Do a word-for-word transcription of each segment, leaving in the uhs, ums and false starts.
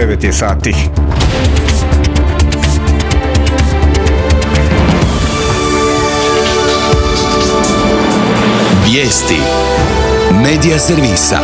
devet je sati. Vijesti Medija servisa.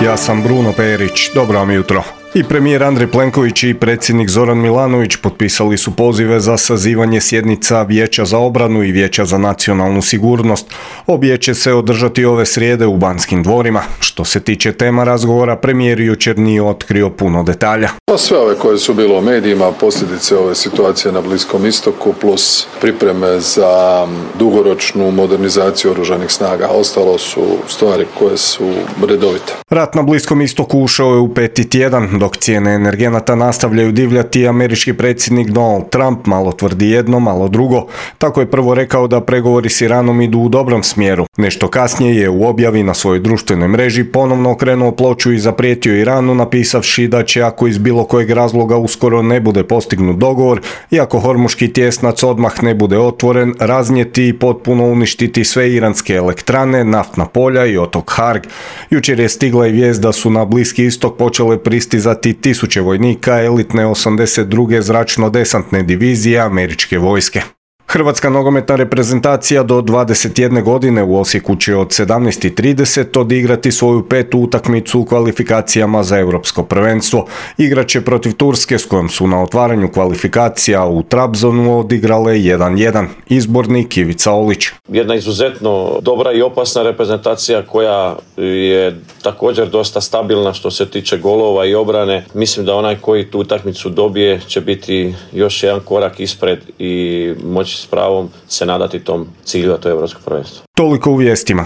Ja sam Bruno Perić, dobro vam jutro. I premijer Andrej Plenković i predsjednik Zoran Milanović potpisali su pozive za sazivanje sjednica Vijeća za obranu i Vijeća za nacionalnu sigurnost. Obje će se održati ove srijede u Banskim dvorima. Što se tiče tema razgovora, premijer jučer nije otkrio puno detalja. Sve ove koje su bilo u medijima, posljedice ove situacije na Bliskom istoku plus pripreme za dugoročnu modernizaciju oružanih snaga. Ostalo su stvari koje su redovite. Rat na Bliskom istoku ušao je u peti tjedan. Dok cijene energenata nastavljaju divljati, američki predsjednik Donald Trump malo tvrdi jedno, malo drugo. Tako je prvo rekao da pregovori s Iranom idu u dobrom smjeru. Nešto kasnije je u objavi na svojoj društvenoj mreži ponovno okrenuo ploču i zaprijetio Iranu napisavši da će, ako iz bilo kojeg razloga uskoro ne bude postignut dogovor i ako Hormuški tjesnac odmah ne bude otvoren, raznijeti i potpuno uništiti sve iranske elektrane, naftna polja i otok Harg. Jučer je stigla i vijest da su na Bliski istok počele pristizati tisuće vojnika elitne osamdeset druge zračno-desantne divizije američke vojske. Hrvatska nogometna reprezentacija do dvadeset jedne godine u Osijeku će od sedamnaest i trideset odigrati svoju petu utakmicu u kvalifikacijama za europsko prvenstvo. Igraće protiv Turske s kojom su na otvaranju kvalifikacija u Trabzonu odigrale jedan jedan. Izbornik Ivica Olić. Jedna izuzetno dobra i opasna reprezentacija koja je također dosta stabilna što se tiče golova i obrane. Mislim da onaj koji tu utakmicu dobije će biti još jedan korak ispred i moći s pravom se nadati tom cilju, a to je europsko prvenstvo. Toliko u vijestima.